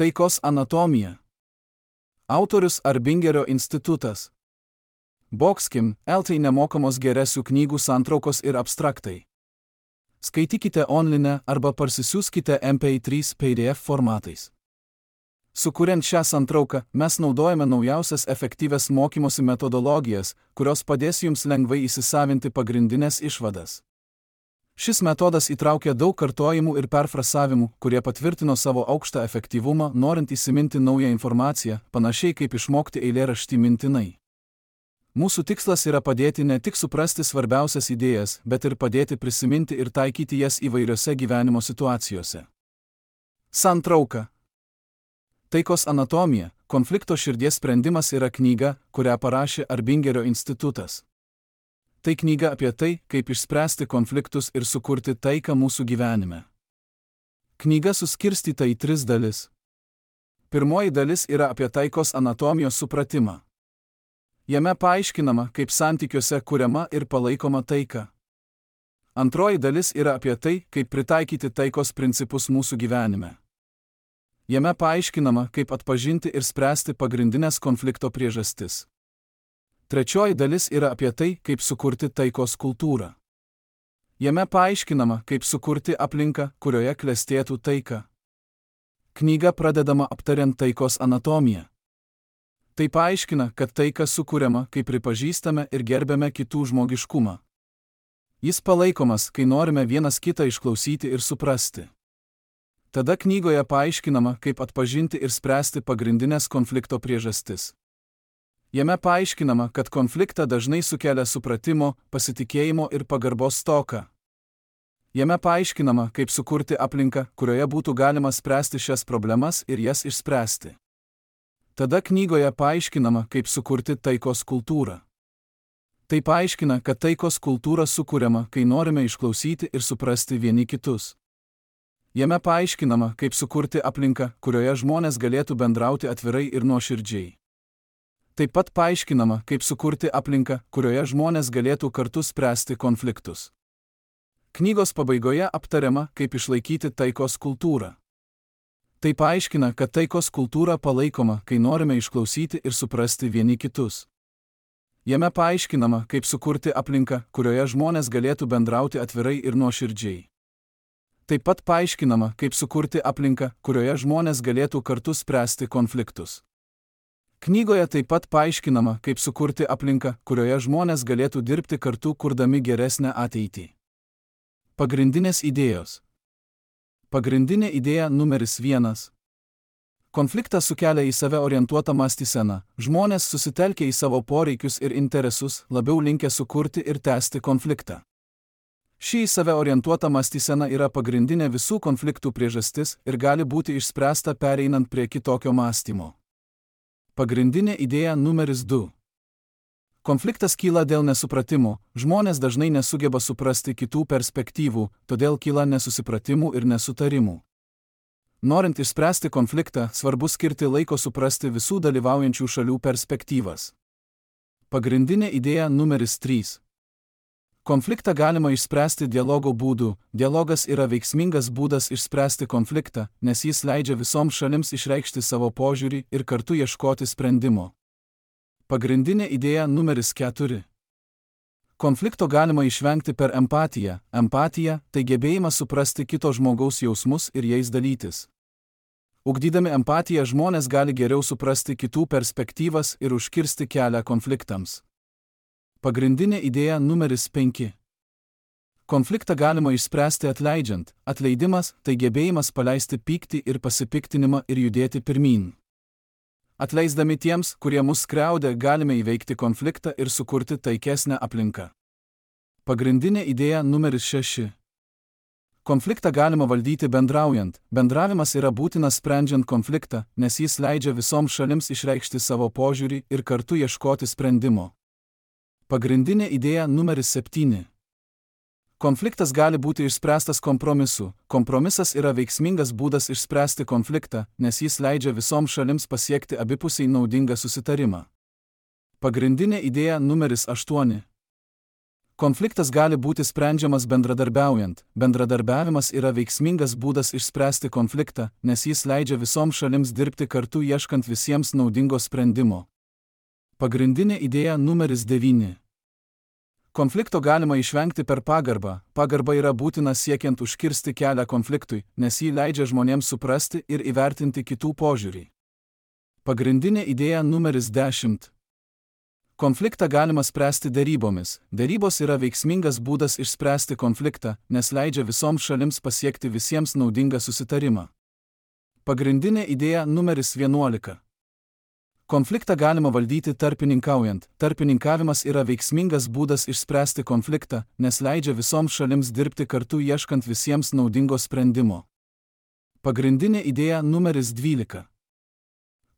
Taikos anatomija. Autorius Arbingerio institutas. Boxkim, LT nemokamos geresių knygų santraukos ir abstraktai. Skaitykite online arba parsisiųskite MP3 PDF formatais. Sukuriant šią santrauką, mes naudojame naujausias efektyvias mokymosi metodologijas, kurios padės jums lengvai įsisavinti pagrindinės išvadas. Šis metodas įtraukia daug kartojimų ir perfrasavimų, kurie patvirtino savo aukštą efektyvumą, norint įsiminti naują informaciją, panašiai kaip išmokti eilėraštį mintinai. Mūsų tikslas yra padėti ne tik suprasti svarbiausias idėjas, bet ir padėti prisiminti ir taikyti jas įvairiose gyvenimo situacijose. Santrauka. Taikos anatomija, konflikto širdies sprendimas yra knyga, kurią parašė Arbingerio institutas. Tai knyga apie tai, kaip išspręsti konfliktus ir sukurti taiką mūsų gyvenime. Knyga suskirstyta į 3 dalis. Pirmoji dalis yra apie taikos anatomijos supratimą. Jame paaiškinama, kaip santykiuose kuriama ir palaikoma taika. Antroji dalis yra apie tai, kaip pritaikyti taikos principus mūsų gyvenime. Jame paaiškinama, kaip atpažinti ir spręsti pagrindinės konflikto priežastis. Trečioji dalis yra apie tai, kaip sukurti taikos kultūrą. Jame paaiškinama, kaip sukurti aplinką, kurioje klestėtų taika. Knyga pradedama aptariant taikos anatomiją. Tai paaiškina, kad taika sukuriama, kai pripažįstame ir gerbiame kitų žmogiškumą. Jis palaikomas, kai norime vienas kitą išklausyti ir suprasti. Tada knygoje paaiškinama, kaip atpažinti ir spręsti pagrindinės konflikto priežastis. Jame paaiškinama, kad konfliktą dažnai sukelia supratimo, pasitikėjimo ir pagarbos stoka. Jame paaiškinama, kaip sukurti aplinką, kurioje būtų galima spręsti šias problemas ir jas išspręsti. Tada knygoje paaiškinama, kaip sukurti taikos kultūrą. Tai paaiškina, kad taikos kultūra sukuriama, kai norime išklausyti ir suprasti vieni kitus. Jame paaiškinama, kaip sukurti aplinką, kurioje žmonės galėtų bendrauti atvirai ir nuoširdžiai. Taip pat paaiškinama, kaip sukurti aplinką, kurioje žmonės galėtų kartu spręsti konfliktus. Knygos pabaigoje aptariama, kaip išlaikyti taikos kultūrą. Tai paaiškina, kad taikos kultūra palaikoma, kai norime išklausyti ir suprasti vieni kitus. Jame paaiškinama, kaip sukurti aplinką, kurioje žmonės galėtų bendrauti atvirai ir nuoširdžiai. Taip pat paaiškinama, kaip sukurti aplinką, kurioje žmonės galėtų kartu spręsti konfliktus. Knygoje taip pat paaiškinama, kaip sukurti aplinką, kurioje žmonės galėtų dirbti kartu, kurdami geresnę ateitį. Pagrindinės idėjos. Pagrindinė idėja numeris 1. Konfliktą sukelia į save orientuotą mąstyseną. Žmonės susitelkia į savo poreikius ir interesus, labiau linkę sukurti ir tęsti konfliktą. Ši į save orientuota mąstysena yra pagrindinė visų konfliktų priežastis ir gali būti išspręsta pereinant prie kitokio mąstymo. Pagrindinė idėja numeris 2. Konfliktas kyla dėl nesupratimo. Žmonės dažnai nesugeba suprasti kitų perspektyvų, todėl kyla nesusipratimų ir nesutarimų. Norint išspręsti konfliktą, svarbu skirti laiko suprasti visų dalyvaujančių šalių perspektyvas. Pagrindinė idėja numeris 3. Konfliktą galima išspręsti dialogo būdu. Dialogas yra veiksmingas būdas išspręsti konfliktą, nes jis leidžia visoms šalims išreikšti savo požiūrį ir kartu ieškoti sprendimo. Pagrindinė idėja numeris 4. Konflikto galima išvengti per empatiją. Empatija – tai gebėjimas suprasti kito žmogaus jausmus ir jais dalytis. Ugdydami empatiją žmonės gali geriau suprasti kitų perspektyvas ir užkirsti kelią konfliktams. Pagrindinė idėja numeris 5. Konfliktą galima išspręsti atleidžiant. Atleidimas – tai gebėjimas paleisti pyktį ir pasipiktinimą ir judėti pirmyn. Atleisdami tiems, kurie mus skriaudė, galime įveikti konfliktą ir sukurti taikesnę aplinką. Pagrindinė idėja numeris 6. Konfliktą galima valdyti bendraujant. Bendravimas yra būtinas sprendžiant konfliktą, nes jis leidžia visoms šalims išreikšti savo požiūrį ir kartu ieškoti sprendimo. Pagrindinė idėja numeris 7. Konfliktas gali būti išspręstas kompromisu. Kompromisas yra veiksmingas būdas išspręsti konfliktą, nes jis leidžia visoms šalims pasiekti abipusiai naudingą susitarimą. Pagrindinė idėja numeris 8. Konfliktas gali būti sprendžiamas bendradarbiaujant. Bendradarbiavimas yra veiksmingas būdas išspręsti konfliktą, nes jis leidžia visoms šalims dirbti kartu ieškant visiems naudingo sprendimo. Pagrindinė idėja numeris 9. Konflikto galima išvengti per pagarbą. Pagarba yra būtina siekiant užkirsti kelią konfliktui, nes jį leidžia žmonėms suprasti ir įvertinti kitų požiūrį. Pagrindinė idėja numeris 10. Konfliktą galima spręsti derybomis. Derybos yra veiksmingas būdas išspręsti konfliktą, nes leidžia visoms šalims pasiekti visiems naudingą susitarimą. Pagrindinė idėja numeris 11. Konfliktą galima valdyti tarpininkaujant. Tarpininkavimas yra veiksmingas būdas išspręsti konfliktą, nes leidžia visoms šalims dirbti kartu ieškant visiems naudingo sprendimo. Pagrindinė idėja numeris 12.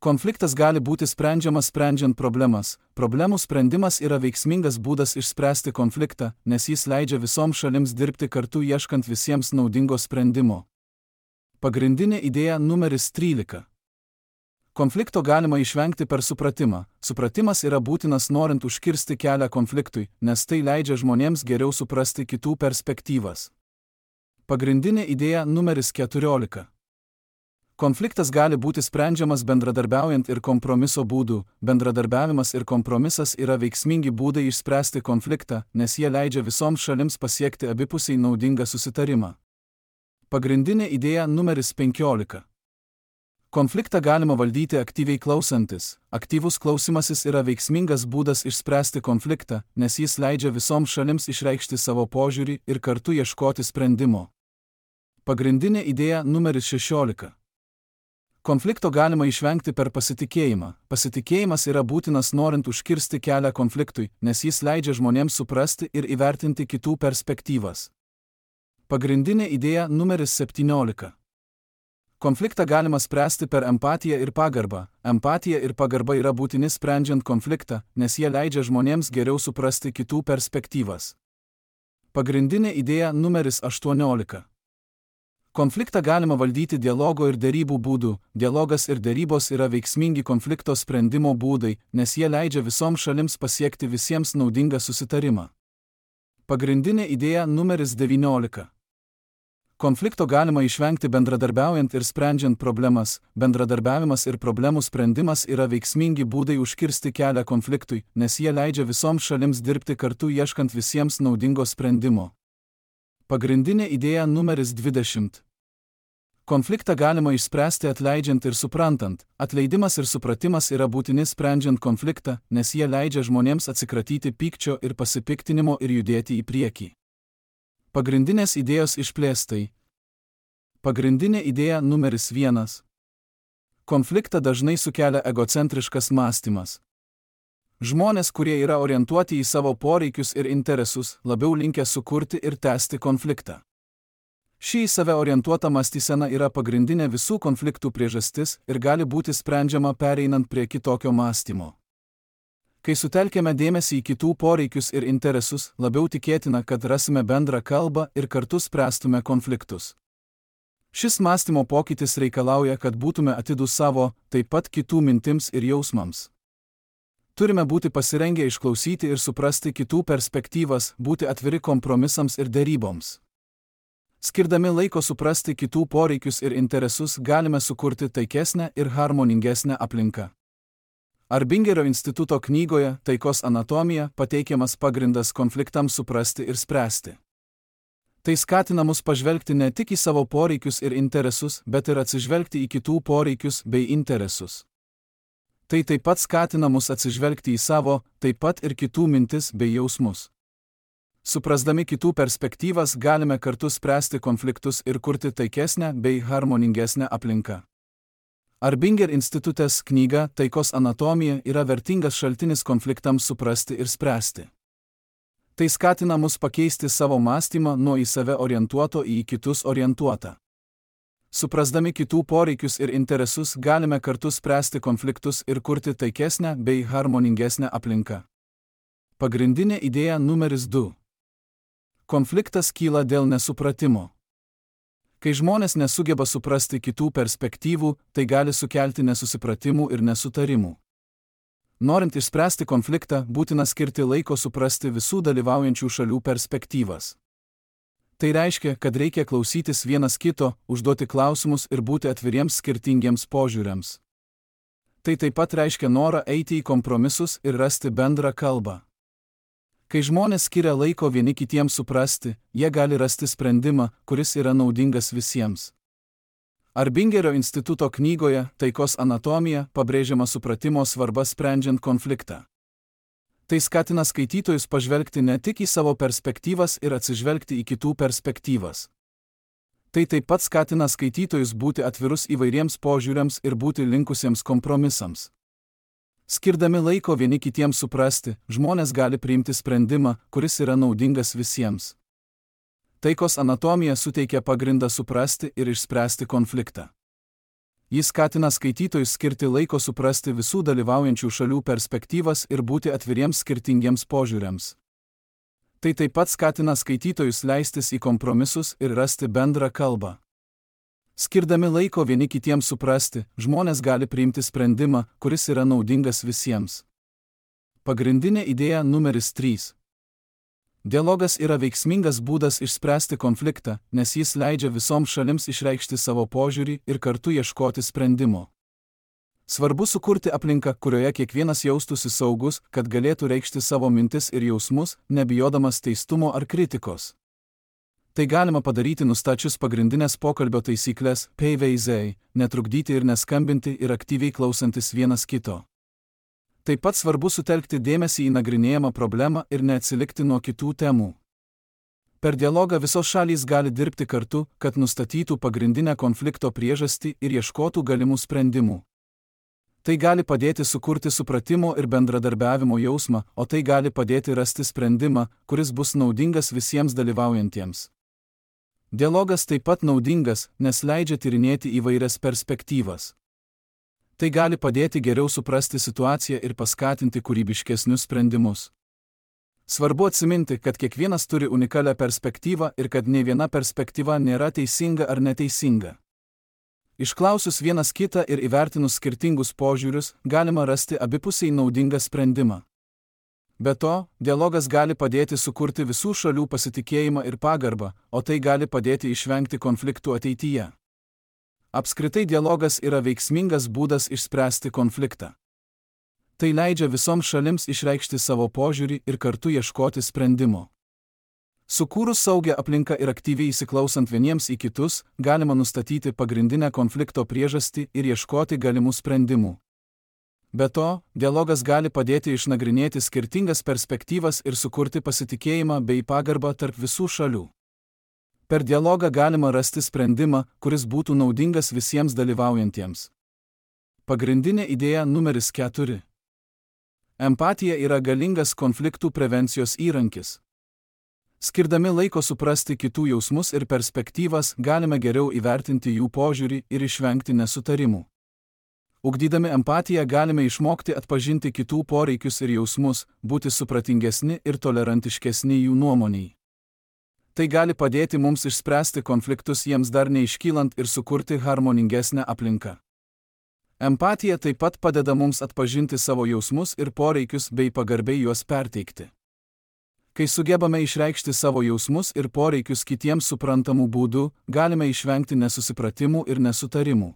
Konfliktas gali būti sprendžiamas sprendžiant problemas. Problemų sprendimas yra veiksmingas būdas išspręsti konfliktą, nes jis leidžia visoms šalims dirbti kartu ieškant visiems naudingo sprendimo. Pagrindinė idėja numeris 13. Konflikto galima išvengti per supratimą. Supratimas yra būtinas norint užkirsti kelią konfliktui, nes tai leidžia žmonėms geriau suprasti kitų perspektyvas. Pagrindinė idėja numeris 14. Konfliktas gali būti sprendžiamas bendradarbiaujant ir kompromiso būdu. Bendradarbiavimas ir kompromisas yra veiksmingi būdai išspręsti konfliktą, nes jie leidžia visoms šalims pasiekti abipusiai naudingą susitarimą. Pagrindinė idėja numeris 15. Konfliktą galima valdyti aktyviai klausantis. Aktyvus klausimasis yra veiksmingas būdas išspręsti konfliktą, nes jis leidžia visoms šalims išreikšti savo požiūrį ir kartu ieškoti sprendimo. Pagrindinė idėja numeris 16. Konflikto galima išvengti per pasitikėjimą. Pasitikėjimas yra būtinas norint užkirsti kelią konfliktui, nes jis leidžia žmonėms suprasti ir įvertinti kitų perspektyvas. Pagrindinė idėja numeris 17. Konfliktą galima spręsti per empatiją ir pagarbą. Empatija ir pagarba yra būtini sprendžiant konfliktą, nes jie leidžia žmonėms geriau suprasti kitų perspektyvas. Pagrindinė idėja numeris 18. Konfliktą galima valdyti dialogo ir derybų būdu. Dialogas ir derybos yra veiksmingi konflikto sprendimo būdai, nes jie leidžia visoms šalims pasiekti visiems naudingą susitarimą. Pagrindinė idėja numeris 19. Konflikto galima išvengti bendradarbiaujant ir sprendžiant problemas. Bendradarbiavimas ir problemų sprendimas yra veiksmingi būdai užkirsti kelią konfliktui, nes jie leidžia visoms šalims dirbti kartu ieškant visiems naudingo sprendimo. Pagrindinė idėja numeris 20. Konfliktą galima išspręsti atleidžiant ir suprantant. Atleidimas ir supratimas yra būtini sprendžiant konfliktą, nes jie leidžia žmonėms atsikratyti pykčio ir pasipiktinimo ir judėti į priekį. Pagrindinės idėjos išplėstai. Pagrindinė idėja numeris 1. Konfliktą dažnai sukelia egocentriškas mąstymas. Žmonės, kurie yra orientuoti į savo poreikius ir interesus, labiau linkę sukurti ir tęsti konfliktą. Ši į save orientuota mąstysena yra pagrindinė visų konfliktų priežastis ir gali būti sprendžiama pereinant prie kitokio mąstymo. Kai sutelkėme dėmesį į kitų poreikius ir interesus, labiau tikėtina, kad rasime bendrą kalbą ir kartu spręstume konfliktus. Šis mąstymo pokytis reikalauja, kad būtume atidūs savo, taip pat kitų mintims ir jausmams. Turime būti pasirengę išklausyti ir suprasti kitų perspektyvas, būti atviri kompromisams ir deryboms. Skirdami laiko suprasti kitų poreikius ir interesus, galime sukurti taikesnę ir harmoningesnę aplinką. Arbingerio instituto knygoje Taikos anatomija pateikiamas pagrindas konfliktams suprasti ir spręsti. Tai skatina mus pažvelgti ne tik į savo poreikius ir interesus, bet ir atsižvelgti į kitų poreikius bei interesus. Tai taip pat skatina mus atsižvelgti į savo, taip pat ir kitų mintis bei jausmus. Suprasdami kitų perspektyvas galime kartu spręsti konfliktus ir kurti taikesnę bei harmoningesnę aplinką. Arbinger institutės knyga Taikos anatomija yra vertingas šaltinis konfliktams suprasti ir spręsti. Tai skatina mus pakeisti savo mąstymą nuo į save orientuoto į kitus orientuotą. Suprasdami kitų poreikius ir interesus galime kartu spręsti konfliktus ir kurti taikesnę bei harmoningesnę aplinką. Pagrindinė idėja numeris 2. Konfliktas kyla dėl nesupratimo. Kai žmonės nesugeba suprasti kitų perspektyvų, tai gali sukelti nesusipratimų ir nesutarimų. Norint išspręsti konfliktą, būtina skirti laiko suprasti visų dalyvaujančių šalių perspektyvas. Tai reiškia, kad reikia klausytis vienas kito, užduoti klausimus ir būti atviriems skirtingiems požiūriams. Tai taip pat reiškia norą eiti į kompromisus ir rasti bendrą kalbą. Kai žmonės skiria laiko vieni kitiems suprasti, jie gali rasti sprendimą, kuris yra naudingas visiems. Arbingerio instituto knygoje Taikos anatomija pabrėžiama supratimo svarba sprendžiant konfliktą. Tai skatina skaitytojus pažvelgti ne tik į savo perspektyvas ir atsižvelgti į kitų perspektyvas. Tai taip pat skatina skaitytojus būti atvirus įvairiems požiūriams ir būti linkusiems kompromisams. Skirdami laiko vieni kitiems suprasti, žmonės gali priimti sprendimą, kuris yra naudingas visiems. Taikos anatomija suteikia pagrindą suprasti ir išspręsti konfliktą. Jis skatina skaitytojus skirti laiko suprasti visų dalyvaujančių šalių perspektyvas ir būti atviriems skirtingiems požiūriams. Tai taip pat skatina skaitytojus leistis į kompromisus ir rasti bendrą kalbą. Skirdami laiko vieni kitiems suprasti, žmonės gali priimti sprendimą, kuris yra naudingas visiems. Pagrindinė idėja numeris 3. Dialogas yra veiksmingas būdas išspręsti konfliktą, nes jis leidžia visoms šalims išreikšti savo požiūrį ir kartu ieškoti sprendimo. Svarbu sukurti aplinką, kurioje kiekvienas jaustųsi saugus, kad galėtų reikšti savo mintis ir jausmus, nebijodamas teistumo ar kritikos. Tai galima padaryti nustačius pagrindinės pokalbio taisyklės PVZ, netrukdyti ir neskambinti ir aktyviai klausantis vienas kito. Taip pat svarbu sutelkti dėmesį į nagrinėjamą problemą ir neatsilikti nuo kitų temų. Per dialogą visos šalys gali dirbti kartu, kad nustatytų pagrindinę konflikto priežastį ir ieškotų galimų sprendimų. Tai gali padėti sukurti supratimo ir bendradarbiavimo jausmą, o tai gali padėti rasti sprendimą, kuris bus naudingas visiems dalyvaujantiems. Dialogas taip pat naudingas, nes leidžia tyrinėti įvairias perspektyvas. Tai gali padėti geriau suprasti situaciją ir paskatinti kūrybiškesnius sprendimus. Svarbu atsiminti, kad kiekvienas turi unikalią perspektyvą ir kad nė viena perspektyva nėra teisinga ar neteisinga. Išklausius vienas kitą ir įvertinus skirtingus požiūrius, galima rasti abipusiai naudingą sprendimą. Be to, dialogas gali padėti sukurti visų šalių pasitikėjimą ir pagarbą, o tai gali padėti išvengti konfliktų ateityje. Apskritai dialogas yra veiksmingas būdas išspręsti konfliktą. Tai leidžia visoms šalims išreikšti savo požiūrį ir kartu ieškoti sprendimo. Sukūrus saugią aplinką ir aktyviai įsiklausant vieniems į kitus, galima nustatyti pagrindinę konflikto priežastį ir ieškoti galimų sprendimų. Be to, dialogas gali padėti išnagrinėti skirtingas perspektyvas ir sukurti pasitikėjimą bei pagarbą tarp visų šalių. Per dialogą galima rasti sprendimą, kuris būtų naudingas visiems dalyvaujantiems. Pagrindinė idėja numeris 4. Empatija yra galingas konfliktų prevencijos įrankis. Skirdami laiko suprasti kitų jausmus ir perspektyvas, galime geriau įvertinti jų požiūrį ir išvengti nesutarimų. Ugdydami empatiją galime išmokti atpažinti kitų poreikius ir jausmus, būti supratingesni ir tolerantiškesni jų nuomoniai. Tai gali padėti mums išspręsti konfliktus jiems dar neiškylant ir sukurti harmoningesnę aplinką. Empatija taip pat padeda mums atpažinti savo jausmus ir poreikius bei pagarbiai juos perteikti. Kai sugebame išreikšti savo jausmus ir poreikius kitiems suprantamų būdų, galime išvengti nesusipratimų ir nesutarimų.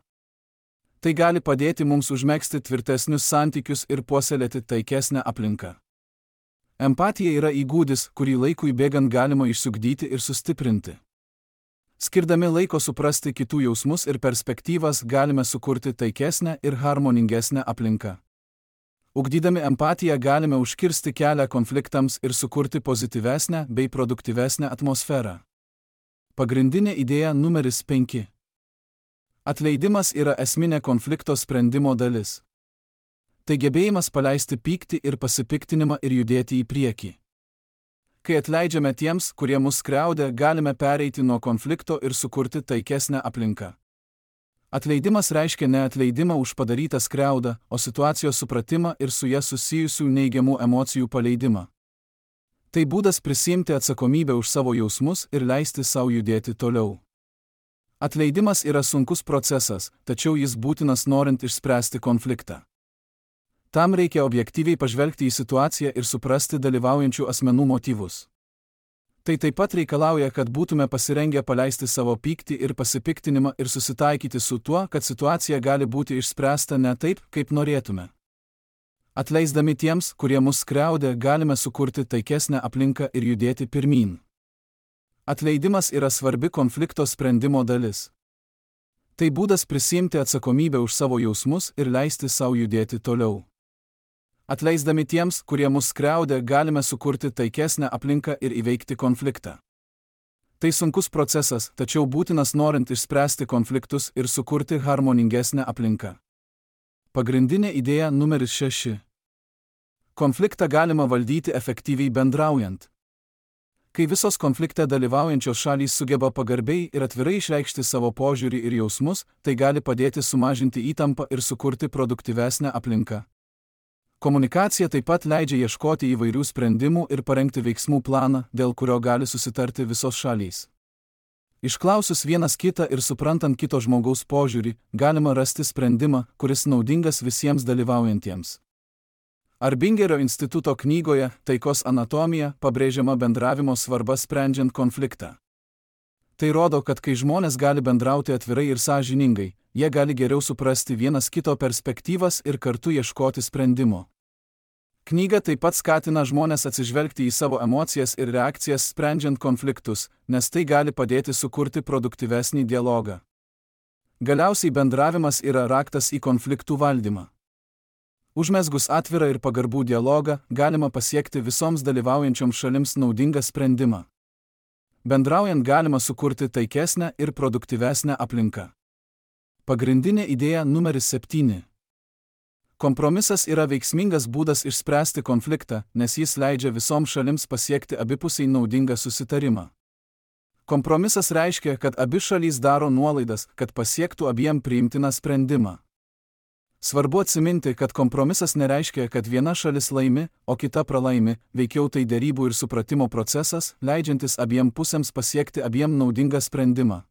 Tai gali padėti mums užmegzti tvirtesnius santykius ir puoselėti taikesnę aplinką. Empatija yra įgūdis, kurį laikui bėgant galima išsiugdyti ir sustiprinti. Skirdami laiko suprasti kitų jausmus ir perspektyvas, galime sukurti taikesnę ir harmoningesnę aplinką. Ugdydami empatiją galime užkirsti kelią konfliktams ir sukurti pozityvesnę bei produktyvesnę atmosferą. Pagrindinė idėja numeris 5. Atleidimas yra esminė konflikto sprendimo dalis. Tai gebėjimas paleisti pyktį ir pasipiktinimą ir judėti į priekį. Kai atleidžiame tiems, kurie mus skriaudė, galime pereiti nuo konflikto ir sukurti taikesnę aplinką. Atleidimas reiškia ne atleidimą už padarytą skriaudą, o situacijos supratimą ir su ja susijusių neigiamų emocijų paleidimą. Tai būdas prisiimti atsakomybę už savo jausmus ir leisti savo judėti toliau. Atleidimas yra sunkus procesas, tačiau jis būtinas norint išspręsti konfliktą. Tam reikia objektyviai pažvelgti į situaciją ir suprasti dalyvaujančių asmenų motyvus. Tai taip pat reikalauja, kad būtume pasirengę paleisti savo pyktį ir pasipiktinimą ir susitaikyti su tuo, kad situacija gali būti išspręsta ne taip, kaip norėtume. Atleisdami tiems, kurie mus skriaudė, galime sukurti taikesnę aplinką ir judėti pirmyn. Atleidimas yra svarbi konflikto sprendimo dalis. Tai būdas prisiimti atsakomybę už savo jausmus ir leisti savo judėti toliau. Atleisdami tiems, kurie mus skriaudė, galime sukurti taikesnę aplinką ir įveikti konfliktą. Tai sunkus procesas, tačiau būtinas norint išspręsti konfliktus ir sukurti harmoningesnę aplinką. Pagrindinė idėja numeris 6. Konfliktą galima valdyti efektyviai bendraujant. Kai visos konflikte dalyvaujančios šalys sugeba pagarbiai ir atvirai išreikšti savo požiūrį ir jausmus, tai gali padėti sumažinti įtampą ir sukurti produktyvesnę aplinką. Komunikacija taip pat leidžia ieškoti įvairių sprendimų ir parengti veiksmų planą, dėl kurio gali susitarti visos šalys. Išklausus vienas kitą ir suprantant kito žmogaus požiūrį, galima rasti sprendimą, kuris naudingas visiems dalyvaujantiems. Arbingerio instituto knygoje Taikos anatomija pabrėžiama bendravimo svarba sprendžiant konfliktą. Tai rodo, kad kai žmonės gali bendrauti atvirai ir sąžiningai, jie gali geriau suprasti vienas kito perspektyvas ir kartu ieškoti sprendimo. Knyga taip pat skatina žmones atsižvelgti į savo emocijas ir reakcijas sprendžiant konfliktus, nes tai gali padėti sukurti produktyvesnį dialogą. Galiausiai bendravimas yra raktas į konfliktų valdymą. Užmezgus atvirą ir pagarbų dialogą, galima pasiekti visoms dalyvaujančioms šalims naudingą sprendimą. Bendraujant galima sukurti taikesnę ir produktyvesnę aplinką. Pagrindinė idėja numeris 7. Kompromisas yra veiksmingas būdas išspręsti konfliktą, nes jis leidžia visoms šalims pasiekti abipusiai naudingą susitarimą. Kompromisas reiškia, kad abi šalys daro nuolaidas, kad pasiektų abiem priimtiną sprendimą. Svarbu atsiminti, kad kompromisas nereiškia, kad viena šalis laimi, o kita pralaimi, veikiau tai derybų ir supratimo procesas, leidžiantis abiem pusėms pasiekti abiem naudingą sprendimą.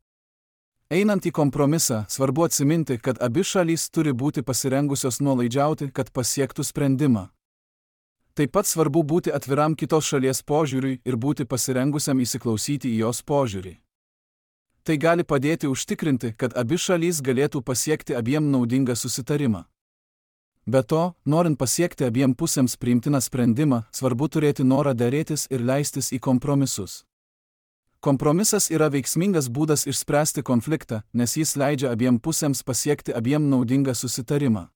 Einant į kompromisą, svarbu atsiminti, kad abi šalys turi būti pasirengusios nuolaidžiauti, kad pasiektų sprendimą. Taip pat svarbu būti atviram kitos šalies požiūriui ir būti pasirengusiam įsiklausyti į jos požiūrį. Tai gali padėti užtikrinti, kad abi šalys galėtų pasiekti abiem naudingą susitarimą. Be to, norint pasiekti abiem pusėms priimtiną sprendimą, svarbu turėti norą derėtis ir leistis į kompromisus. Kompromisas yra veiksmingas būdas išspręsti konfliktą, nes jis leidžia abiem pusėms pasiekti abiem naudingą susitarimą.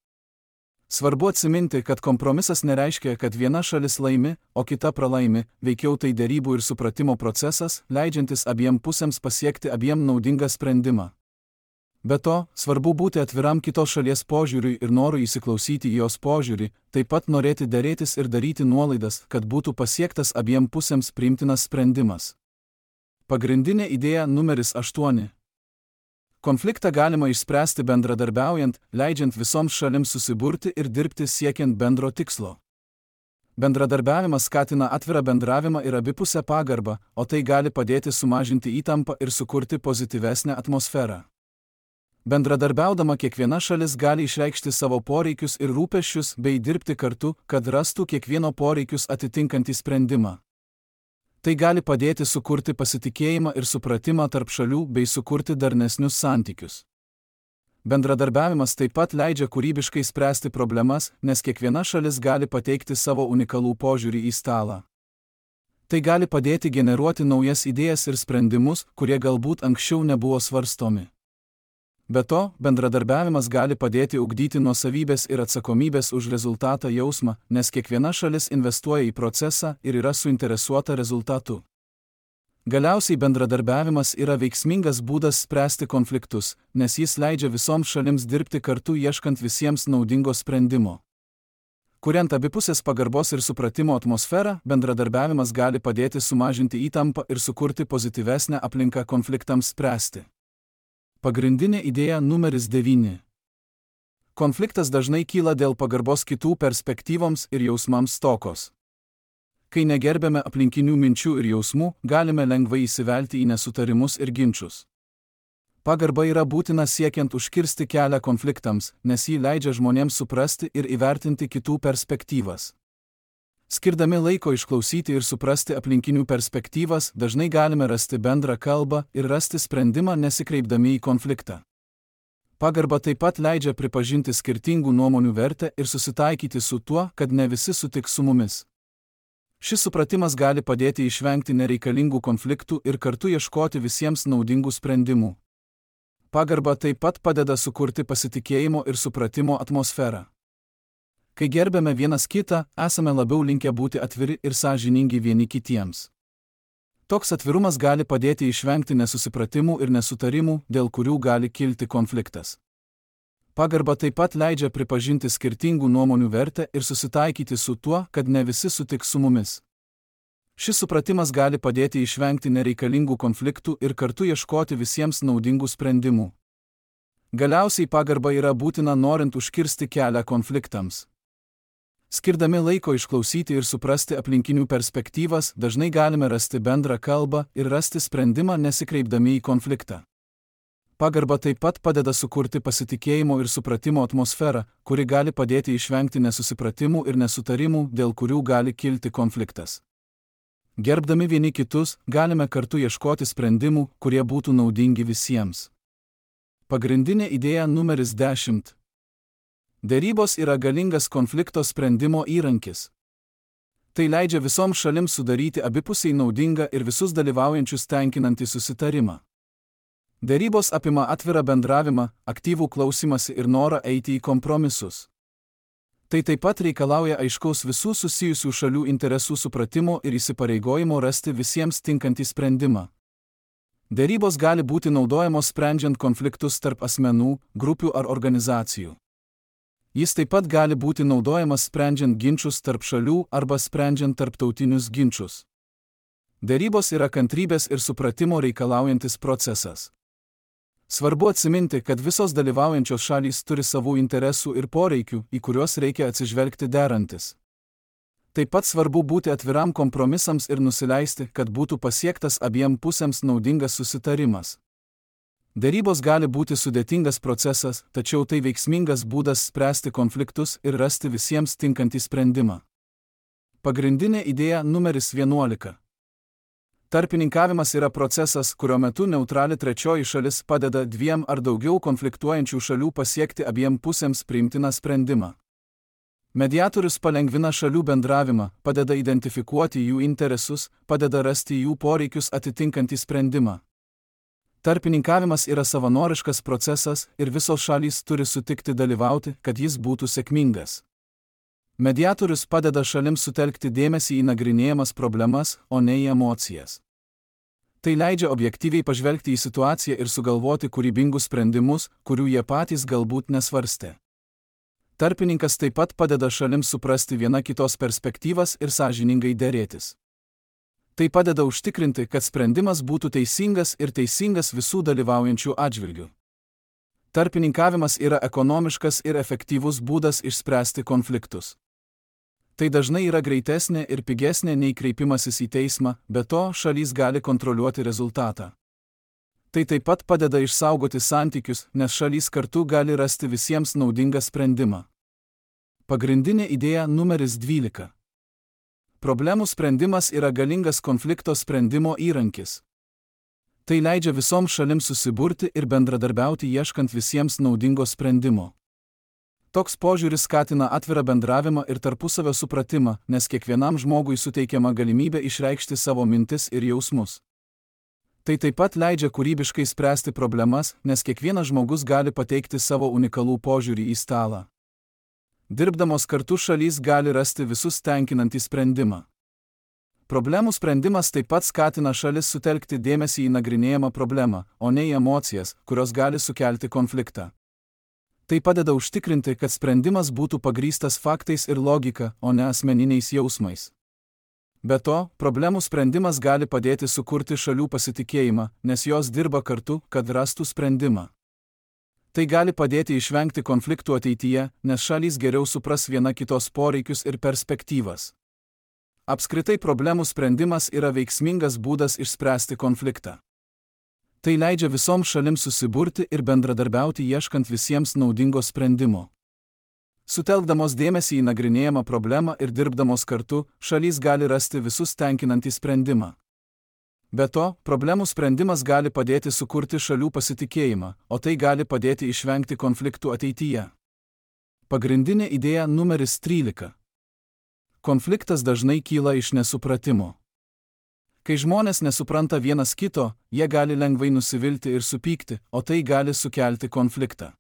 Svarbu atsiminti, kad kompromisas nereiškia, kad viena šalis laimi, o kita pralaimi, veikiau tai derybų ir supratimo procesas, leidžiantis abiem pusėms pasiekti abiem naudingą sprendimą. Be to, svarbu būti atviram kitos šalies požiūriui ir norui įsiklausyti į jos požiūrį, taip pat norėti derėtis ir daryti nuolaidas, kad būtų pasiektas abiem pusėms priimtinas sprendimas. Pagrindinė idėja numeris 8. Konfliktą galima išspręsti bendradarbiaujant, leidžiant visoms šalims susiburti ir dirbti siekiant bendro tikslo. Bendradarbiavimas skatina atvirą bendravimą ir abipusę pagarbą, o tai gali padėti sumažinti įtampą ir sukurti pozityvesnę atmosferą. Bendradarbiaudama kiekviena šalis gali išreikšti savo poreikius ir rūpesčius bei dirbti kartu, kad rastų kiekvieno poreikius atitinkantį sprendimą. Tai gali padėti sukurti pasitikėjimą ir supratimą tarp šalių bei sukurti darnesnius santykius. Bendradarbiavimas taip pat leidžia kūrybiškai spręsti problemas, nes kiekviena šalis gali pateikti savo unikalų požiūrį į stalą. Tai gali padėti generuoti naujas idėjas ir sprendimus, kurie galbūt anksčiau nebuvo svarstomi. Be to, bendradarbiavimas gali padėti ugdyti nuosavybės ir atsakomybės už rezultatą jausmą, nes kiekviena šalis investuoja į procesą ir yra suinteresuota rezultatu. Galiausiai bendradarbiavimas yra veiksmingas būdas spręsti konfliktus, nes jis leidžia visoms šalims dirbti kartu ieškant visiems naudingo sprendimo. Kuriant abipusės pagarbos ir supratimo atmosferą, bendradarbiavimas gali padėti sumažinti įtampą ir sukurti pozityvesnę aplinką konfliktams spręsti. Pagrindinė idėja numeris 9. Konfliktas dažnai kyla dėl pagarbos kitų perspektyvoms ir jausmams stokos. Kai negerbėme aplinkinių minčių ir jausmų, galime lengvai įsivelti į nesutarimus ir ginčus. Pagarba yra būtina siekiant užkirsti kelią konfliktams, nes ji leidžia žmonėms suprasti ir įvertinti kitų perspektyvas. Skirdami laiko išklausyti ir suprasti aplinkinių perspektyvas, dažnai galime rasti bendrą kalbą ir rasti sprendimą nesikreipdami į konfliktą. Pagarba taip pat leidžia pripažinti skirtingų nuomonių vertę ir susitaikyti su tuo, kad ne visi sutiks su mumis. Šis supratimas gali padėti išvengti nereikalingų konfliktų ir kartu ieškoti visiems naudingų sprendimų. Pagarba taip pat padeda sukurti pasitikėjimo ir supratimo atmosferą. Kai gerbėme vienas kitą, esame labiau linkę būti atviri ir sąžiningi vieni kitiems. Toks atvirumas gali padėti išvengti nesusipratimų ir nesutarimų, dėl kurių gali kilti konfliktas. Pagarba taip pat leidžia pripažinti skirtingų nuomonių vertę ir susitaikyti su tuo, kad ne visi sutiks su mumis. Šis supratimas gali padėti išvengti nereikalingų konfliktų ir kartu ieškoti visiems naudingų sprendimų. Galiausiai pagarba yra būtina norint užkirsti kelią konfliktams. Skirdami laiko išklausyti ir suprasti aplinkinių perspektyvas, dažnai galime rasti bendrą kalbą ir rasti sprendimą nesikreipdami į konfliktą. Pagarba taip pat padeda sukurti pasitikėjimo ir supratimo atmosferą, kuri gali padėti išvengti nesusipratimų ir nesutarimų, dėl kurių gali kilti konfliktas. Gerbdami vieni kitus, galime kartu ieškoti sprendimų, kurie būtų naudingi visiems. Pagrindinė idėja numeris 10. Derybos yra galingas konflikto sprendimo įrankis. Tai leidžia visoms šalims sudaryti abipusiai naudingą ir visus dalyvaujančius tenkinantį susitarimą. Derybos apima atvirą bendravimą, aktyvų klausymąsi ir norą eiti į kompromisus. Tai taip pat reikalauja aiškaus visų susijusių šalių interesų supratimo ir įsipareigojimo rasti visiems tinkantį sprendimą. Derybos gali būti naudojamos sprendžiant konfliktus tarp asmenų, grupių ar organizacijų. Jis taip pat gali būti naudojamas sprendžiant ginčus tarp šalių arba sprendžiant tarptautinius ginčus. Derybos yra kantrybės ir supratimo reikalaujantis procesas. Svarbu atsiminti, kad visos dalyvaujančios šalys turi savų interesų ir poreikių, į kuriuos reikia atsižvelgti derantis. Taip pat svarbu būti atviram kompromisams ir nusileisti, kad būtų pasiektas abiem pusėms naudingas susitarimas. Derybos gali būti sudėtingas procesas, tačiau tai veiksmingas būdas spręsti konfliktus ir rasti visiems tinkantį sprendimą. Pagrindinė idėja numeris 11. Tarpininkavimas yra procesas, kurio metu neutrali trečioji šalis padeda dviem ar daugiau konfliktuojančių šalių pasiekti abiem pusėms priimtiną sprendimą. Mediatorius palengvina šalių bendravimą, padeda identifikuoti jų interesus, padeda rasti jų poreikius atitinkantį sprendimą. Tarpininkavimas yra savanoriškas procesas ir visos šalys turi sutikti dalyvauti, kad jis būtų sėkmingas. Mediatorius padeda šalims sutelkti dėmesį į nagrinėjamas problemas, o ne į emocijas. Tai leidžia objektyviai pažvelgti į situaciją ir sugalvoti kūrybingus sprendimus, kurių jie patys galbūt nesvarstė. Tarpininkas taip pat padeda šalims suprasti viena kitos perspektyvas ir sąžiningai derėtis. Tai padeda užtikrinti, kad sprendimas būtų teisingas ir teisingas visų dalyvaujančių atžvilgių. Tarpininkavimas yra ekonomiškas ir efektyvus būdas išspręsti konfliktus. Tai dažnai yra greitesnė ir pigesnė nei kreipimasis į teismą, be to šalys gali kontroliuoti rezultatą. Tai taip pat padeda išsaugoti santykius, nes šalys kartu gali rasti visiems naudingą sprendimą. Pagrindinė idėja numeris 12. Problemų sprendimas yra galingas konflikto sprendimo įrankis. Tai leidžia visoms šalims susiburti ir bendradarbiauti ieškant visiems naudingo sprendimo. Toks požiūris skatina atvirą bendravimą ir tarpusavio supratimą, nes kiekvienam žmogui suteikiama galimybė išreikšti savo mintis ir jausmus. Tai taip pat leidžia kūrybiškai spręsti problemas, nes kiekvienas žmogus gali pateikti savo unikalų požiūrį į stalą. Dirbdamos kartu šalys gali rasti visus tenkinantį sprendimą. Problemų sprendimas taip pat skatina šalis sutelkti dėmesį į nagrinėjamą problemą, o ne į emocijas, kurios gali sukelti konfliktą. Tai padeda užtikrinti, kad sprendimas būtų pagrįstas faktais ir logika, o ne asmeniniais jausmais. Be to, problemų sprendimas gali padėti sukurti šalių pasitikėjimą, nes jos dirba kartu, kad rastų sprendimą. Tai gali padėti išvengti konfliktų ateityje, nes šalys geriau supras viena kitos poreikius ir perspektyvas. Apskritai problemų sprendimas yra veiksmingas būdas išspręsti konfliktą. Tai leidžia visoms šalims susiburti ir bendradarbiauti ieškant visiems naudingo sprendimo. Sutelkdamos dėmesį į nagrinėjamą problemą ir dirbdamos kartu, šalys gali rasti visus tenkinantį sprendimą. Be to, problemų sprendimas gali padėti sukurti šalių pasitikėjimą, o tai gali padėti išvengti konfliktų ateityje. Pagrindinė idėja numeris 13. Konfliktas dažnai kyla iš nesupratimo. Kai žmonės nesupranta vienas kito, jie gali lengvai nusivilti ir supykti, o tai gali sukelti konfliktą.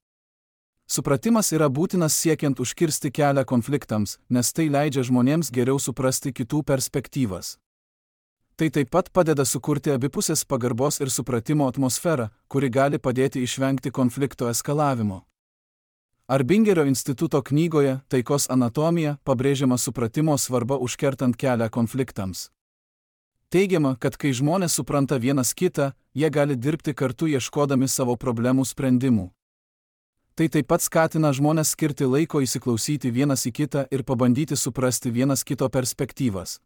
Supratimas yra būtinas siekiant užkirsti kelią konfliktams, nes tai leidžia žmonėms geriau suprasti kitų perspektyvas. Tai taip pat padeda sukurti abipusės pagarbos ir supratimo atmosferą, kuri gali padėti išvengti konflikto eskalavimo. Arbingerio instituto knygoje Taikos anatomija pabrėžiama supratimo svarba užkertant kelią konfliktams. Teigiama, kad kai žmonės supranta vienas kitą, jie gali dirbti kartu ieškodami savo problemų sprendimų. Tai taip pat skatina žmonės skirti laiko įsiklausyti vienas į kitą ir pabandyti suprasti vienas kito perspektyvas.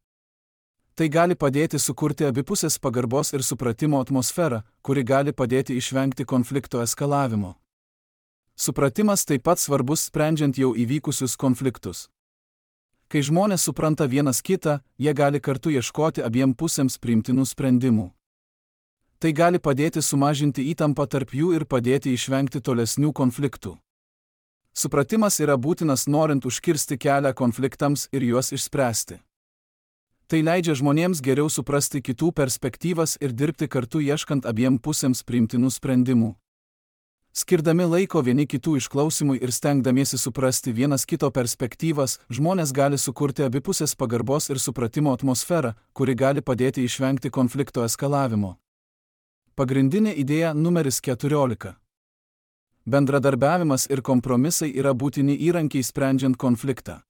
Tai gali padėti sukurti abipusės pagarbos ir supratimo atmosferą, kuri gali padėti išvengti konflikto eskalavimo. Supratimas taip pat svarbus sprendžiant jau įvykusius konfliktus. Kai žmonės supranta vienas kitą, jie gali kartu ieškoti abiem pusėms priimtinų sprendimų. Tai gali padėti sumažinti įtampą tarp jų ir padėti išvengti tolesnių konfliktų. Supratimas yra būtinas norint užkirsti kelią konfliktams ir juos išspręsti. Tai leidžia žmonėms geriau suprasti kitų perspektyvas ir dirbti kartu ieškant abiem pusėms priimtinų sprendimų. Skirdami laiko vieni kitų išklausimui ir stengdamiesi suprasti vienas kito perspektyvas, žmonės gali sukurti abipusės pagarbos ir supratimo atmosferą, kuri gali padėti išvengti konflikto eskalavimo. Pagrindinė idėja numeris 14. Bendradarbiavimas ir kompromisai yra būtini įrankiai sprendžiant konfliktą.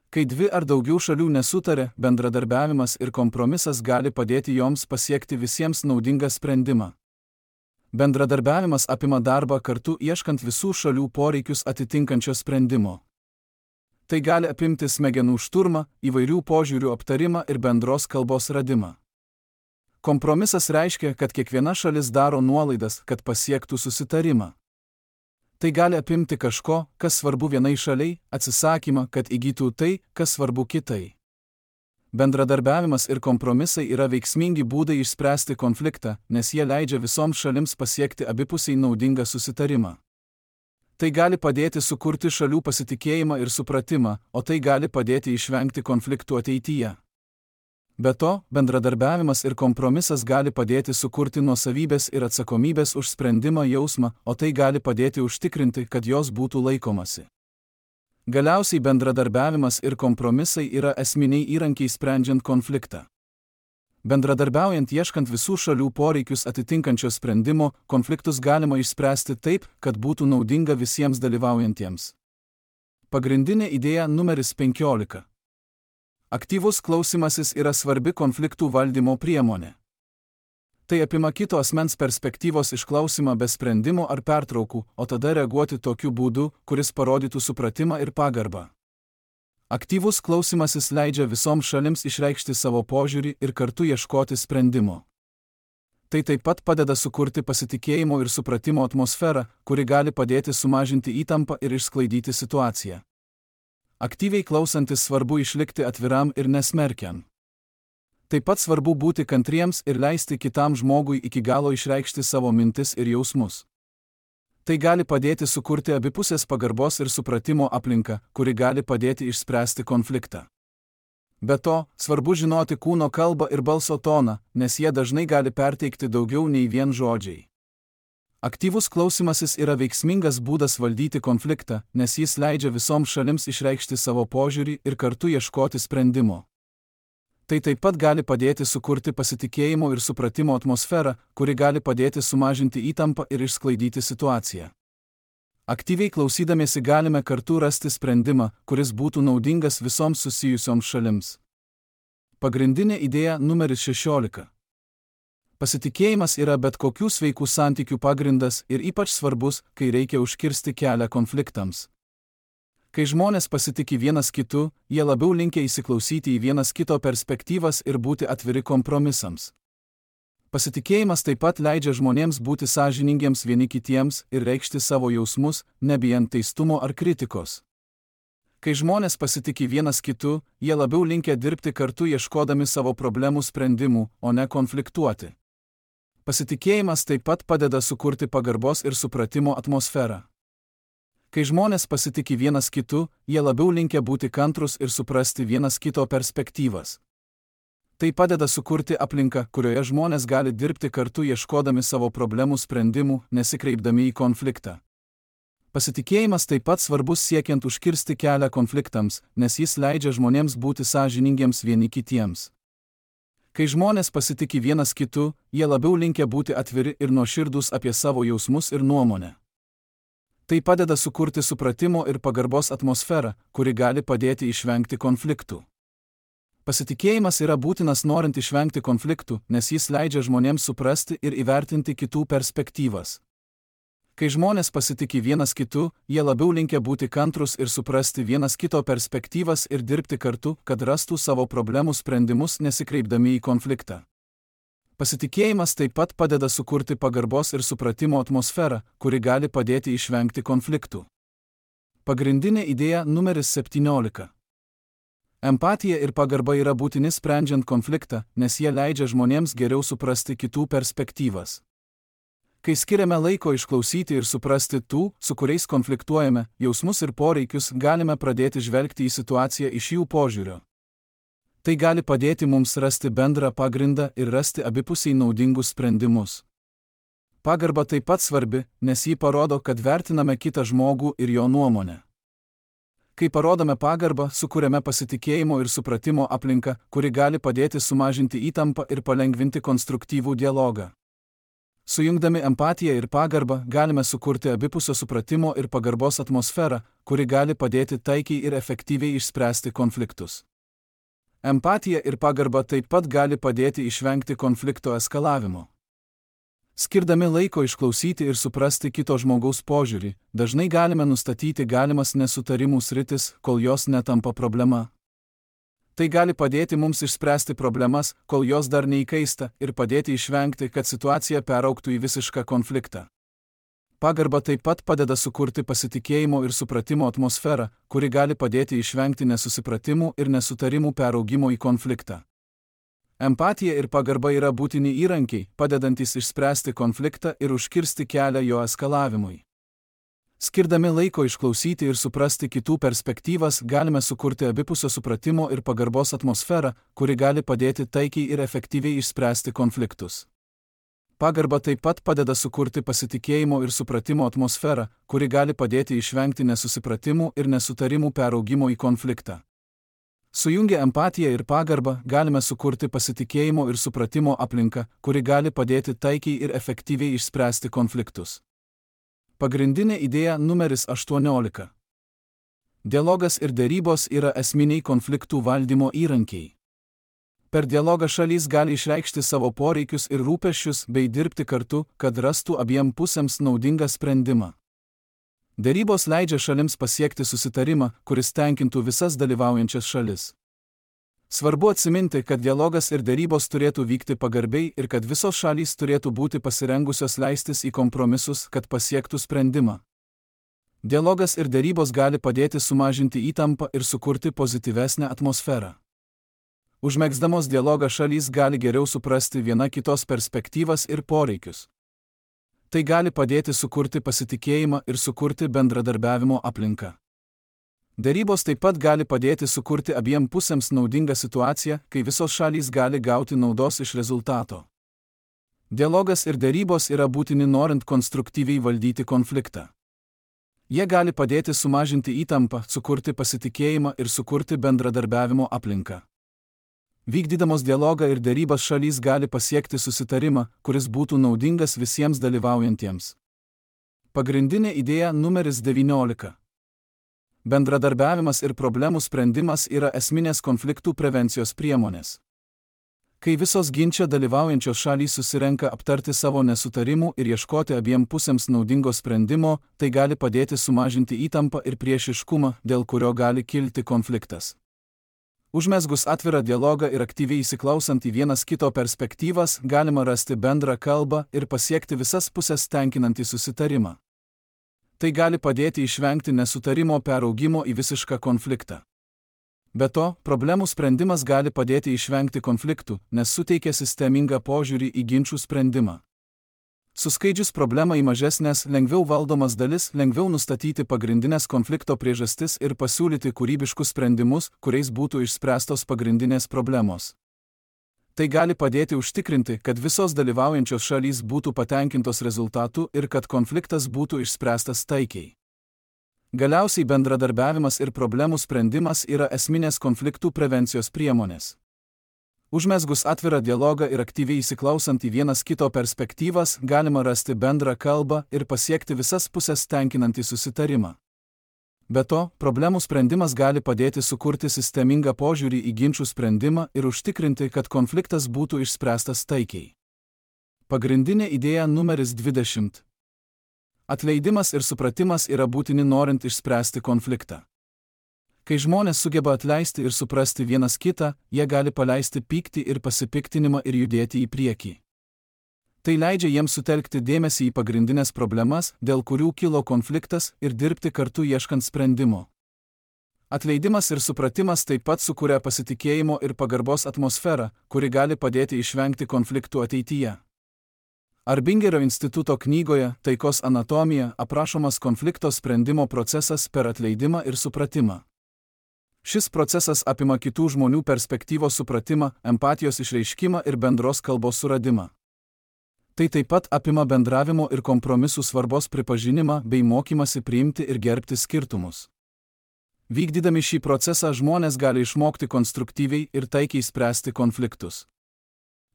Kai dvi ar daugiau šalių nesutarė, bendradarbiavimas ir kompromisas gali padėti joms pasiekti visiems naudingą sprendimą. Bendradarbiavimas apima darbą kartu ieškant visų šalių poreikius atitinkančio sprendimo. Tai gali apimti smegenų šturmą, įvairių požiūrių aptarimą ir bendros kalbos radimą. Kompromisas reiškia, kad kiekviena šalis daro nuolaidas, kad pasiektų susitarimą. Tai gali apimti kažko, kas svarbu vienai šaliai, atsisakymą, kad įgytų tai, kas svarbu kitai. Bendradarbiavimas ir kompromisai yra veiksmingi būdai išspręsti konfliktą, nes jie leidžia visoms šalims pasiekti abipusiai naudingą susitarimą. Tai gali padėti sukurti šalių pasitikėjimą ir supratimą, o tai gali padėti išvengti konfliktų ateityje. Be to, bendradarbiavimas ir kompromisas gali padėti sukurti nuosavybės ir atsakomybės už sprendimą jausmą, o tai gali padėti užtikrinti, kad jos būtų laikomasi. Galiausiai bendradarbiavimas ir kompromisai yra esminiai įrankiai sprendžiant konfliktą. Bendradarbiaujant ieškant visų šalių poreikius atitinkančio sprendimo, konfliktus galima išspręsti taip, kad būtų naudinga visiems dalyvaujantiems. Pagrindinė idėja numeris 15. Aktyvus klausymasis yra svarbi konfliktų valdymo priemonė. Tai apima kito asmens perspektyvos išklausimą be sprendimo ar pertraukų, o tada reaguoti tokiu būdu, kuris parodytų supratimą ir pagarbą. Aktyvus klausymasis leidžia visoms šalims išreikšti savo požiūrį ir kartu ieškoti sprendimo. Tai taip pat padeda sukurti pasitikėjimo ir supratimo atmosferą, kuri gali padėti sumažinti įtampą ir išsklaidyti situaciją. Aktyviai klausantis svarbu išlikti atviram ir nesmerkiant. Taip pat svarbu būti kantriems ir leisti kitam žmogui iki galo išreikšti savo mintis ir jausmus. Tai gali padėti sukurti abipusės pagarbos ir supratimo aplinką, kuri gali padėti išspręsti konfliktą. Be to, svarbu žinoti kūno kalbą ir balso toną, nes jie dažnai gali perteikti daugiau nei vien žodžiai. Aktyvus klausymasis yra veiksmingas būdas valdyti konfliktą, nes jis leidžia visoms šalims išreikšti savo požiūrį ir kartu ieškoti sprendimo. Tai taip pat gali padėti sukurti pasitikėjimo ir supratimo atmosferą, kuri gali padėti sumažinti įtampą ir išsklaidyti situaciją. Aktyviai klausydamiesi galime kartu rasti sprendimą, kuris būtų naudingas visoms susijusioms šalims. Pagrindinė idėja numeris 16. Pasitikėjimas yra bet kokių sveikų santykių pagrindas ir ypač svarbus, kai reikia užkirsti kelią konfliktams. Kai žmonės pasitiki vienas kitu, jie labiau linkę įsiklausyti į vienas kito perspektyvas ir būti atviri kompromisams. Pasitikėjimas taip pat leidžia žmonėms būti sąžiningiems vieni kitiems ir reikšti savo jausmus, nebijant teistumo ar kritikos. Kai žmonės pasitikė vienas kitu, jie labiau linkę dirbti kartu ieškodami savo problemų sprendimų, o ne konfliktuoti. Pasitikėjimas taip pat padeda sukurti pagarbos ir supratimo atmosferą. Kai žmonės pasitikė vienas kitu, jie labiau linkę būti kantrus ir suprasti vienas kito perspektyvas. Tai padeda sukurti aplinką, kurioje žmonės gali dirbti kartu ieškodami savo problemų sprendimų, nesikreipdami į konfliktą. Pasitikėjimas taip pat svarbus siekiant užkirsti kelią konfliktams, nes jis leidžia žmonėms būti sąžiningiems vieni kitiems. Kai žmonės pasitikė vienas kitu, jie labiau linkę būti atviri ir nuoširdūs apie savo jausmus ir nuomonę. Tai padeda sukurti supratimo ir pagarbos atmosferą, kuri gali padėti išvengti konfliktų. Pasitikėjimas yra būtinas norint išvengti konfliktų, nes jis leidžia žmonėms suprasti ir įvertinti kitų perspektyvas. Kai žmonės pasitikė vienas kitu, jie labiau linkę būti kantrus ir suprasti vienas kito perspektyvas ir dirbti kartu, kad rastų savo problemų sprendimus nesikreipdami į konfliktą. Pasitikėjimas taip pat padeda sukurti pagarbos ir supratimo atmosferą, kuri gali padėti išvengti konfliktų. Pagrindinė idėja numeris 17. Empatija ir pagarba yra būtini sprendžiant konfliktą, nes jie leidžia žmonėms geriau suprasti kitų perspektyvas. Kai skiriame laiko išklausyti ir suprasti tų, su kuriais konfliktuojame, jausmus ir poreikius, galime pradėti žvelgti į situaciją iš jų požiūrio. Tai gali padėti mums rasti bendrą pagrindą ir rasti abipusiai naudingus sprendimus. Pagarba taip pat svarbi, nes ji parodo, kad vertiname kitą žmogų ir jo nuomonę. Kai parodome pagarbą, sukuriame pasitikėjimo ir supratimo aplinką, kuri gali padėti sumažinti įtampą ir palengvinti konstruktyvų dialogą. Sujungdami empatiją ir pagarbą galime sukurti abipusio supratimo ir pagarbos atmosferą, kuri gali padėti taikiai ir efektyviai išspręsti konfliktus. Empatija ir pagarba taip pat gali padėti išvengti konflikto eskalavimo. Skirdami laiko išklausyti ir suprasti kito žmogaus požiūrį, dažnai galime nustatyti galimas nesutarimų sritis, kol jos netampa problema. Tai gali padėti mums išspręsti problemas, kol jos dar neįkaista, ir padėti išvengti, kad situacija peraugtų į visišką konfliktą. Pagarba taip pat padeda sukurti pasitikėjimo ir supratimo atmosferą, kuri gali padėti išvengti nesusipratimų ir nesutarimų peraugimo į konfliktą. Empatija ir pagarba yra būtini įrankiai, padedantis išspręsti konfliktą ir užkirsti kelią jo eskalavimui. Skirdami laiko išklausyti ir suprasti kitų perspektyvas, galime sukurti abipusio supratimo ir pagarbos atmosferą, kuri gali padėti taikiai ir efektyviai išspręsti konfliktus. Pagarba taip pat padeda sukurti pasitikėjimo ir supratimo atmosferą, kuri gali padėti išvengti nesusipratimų ir nesutarimų peraugimo į konfliktą. Sujungę empatiją ir pagarbą galime sukurti pasitikėjimo ir supratimo aplinką, kuri gali padėti taikiai ir efektyviai išspręsti konfliktus. Pagrindinė idėja numeris 18. Dialogas ir derybos yra esminiai konfliktų valdymo įrankiai. Per dialogą šalys gali išreikšti savo poreikius ir rūpesčius bei dirbti kartu, kad rastų abiem pusėms naudingą sprendimą. Derybos leidžia šalims pasiekti susitarimą, kuris tenkintų visas dalyvaujančias šalis. Svarbu atsiminti, kad dialogas ir derybos turėtų vykti pagarbiai ir kad visos šalys turėtų būti pasirengusios leistis į kompromisus, kad pasiektų sprendimą. Dialogas ir derybos gali padėti sumažinti įtampą ir sukurti pozityvesnę atmosferą. Užmegzdamos dialogą šalys gali geriau suprasti viena kitos perspektyvas ir poreikius. Tai gali padėti sukurti pasitikėjimą ir sukurti bendradarbiavimo aplinką. Derybos taip pat gali padėti sukurti abiem pusėms naudingą situaciją, kai visos šalys gali gauti naudos iš rezultato. Dialogas ir derybos yra būtini norint konstruktyviai valdyti konfliktą. Jie gali padėti sumažinti įtampą, sukurti pasitikėjimą ir sukurti bendradarbiavimo aplinką. Vykdydamos dialogą ir derybas šalys gali pasiekti susitarimą, kuris būtų naudingas visiems dalyvaujantiems. Pagrindinė idėja numeris 19. Bendradarbiavimas ir problemų sprendimas yra esminės konfliktų prevencijos priemonės. Kai visos ginče dalyvaujančios šalys susirenka aptarti savo nesutarimų ir ieškoti abiem pusėms naudingo sprendimo, tai gali padėti sumažinti įtampą ir priešiškumą, dėl kurio gali kilti konfliktas. Užmesgus atvirą dialogą ir aktyviai įsiklausant į vienas kito perspektyvas, galima rasti bendrą kalbą ir pasiekti visas pusės tenkinantį susitarimą. Tai gali padėti išvengti nesutarimo peraugimo į visišką konfliktą. Be to, problemų sprendimas gali padėti išvengti konfliktų, nes suteikia sistemingą požiūrį į ginčių sprendimą. Suskaidžius problemą į mažesnės, lengviau valdomas dalis, lengviau nustatyti pagrindinės konflikto priežastis ir pasiūlyti kūrybiškus sprendimus, kuriais būtų išspręstos pagrindinės problemos. Tai gali padėti užtikrinti, kad visos dalyvaujančios šalys būtų patenkintos rezultatu ir kad konfliktas būtų išspręstas taikiai. Galiausiai bendradarbiavimas ir problemų sprendimas yra esminės konfliktų prevencijos priemonės. Užmesgus atvirą dialogą ir aktyviai įsiklausant į vienas kito perspektyvas, galima rasti bendrą kalbą ir pasiekti visas pusės tenkinantį susitarimą. Be to, problemų sprendimas gali padėti sukurti sistemingą požiūrį į ginčių sprendimą ir užtikrinti, kad konfliktas būtų išspręstas taikiai. Pagrindinė idėja numeris 20. Atleidimas ir supratimas yra būtini norint išspręsti konfliktą. Kai žmonės sugeba atleisti ir suprasti vienas kitą, jie gali paleisti pyktį ir pasipiktinimą ir judėti į priekį. Tai leidžia jiems sutelkti dėmesį į pagrindinės problemas, dėl kurių kilo konfliktas, ir dirbti kartu ieškant sprendimo. Atleidimas ir supratimas taip pat sukuria pasitikėjimo ir pagarbos atmosferą, kuri gali padėti išvengti konfliktų ateityje. Arbingerio instituto knygoje Taikos anatomija aprašomas konflikto sprendimo procesas per atleidimą ir supratimą. Šis procesas apima kitų žmonių perspektyvos supratimą, empatijos išreiškimą ir bendros kalbos suradimą. Tai taip pat apima bendravimo ir kompromisų svarbos pripažinimą bei mokymasi priimti ir gerbti skirtumus. Vykdydami šį procesą žmonės gali išmokti konstruktyviai ir taikiai spręsti konfliktus.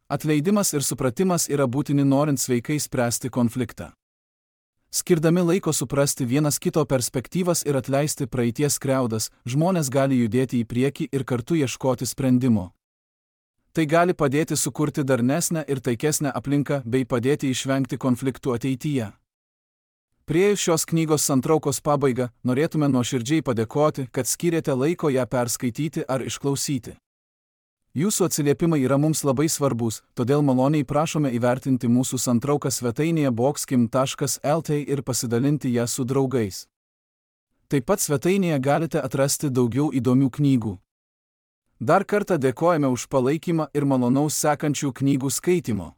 Atleidimas ir supratimas yra būtini norint sveikai spręsti konfliktą. Skirdami laiko suprasti vienas kito perspektyvas ir atleisti praeities skriaudas, žmonės gali judėti į priekį ir kartu ieškoti sprendimo. Tai gali padėti sukurti darnesnę ir taikesnę aplinką bei padėti išvengti konfliktų ateityje. Priėjus šios knygos santraukos pabaigą, norėtume nuoširdžiai padėkoti, kad skyrėte laiko ją perskaityti ar išklausyti. Jūsų atsiliepimai yra mums labai svarbus, todėl maloniai prašome įvertinti mūsų santrauką svetainėje boxkim.lt ir pasidalinti ją su draugais. Taip pat svetainėje galite atrasti daugiau įdomių knygų. Dar kartą dėkojame už palaikymą ir malonaus sekančių knygų skaitimo.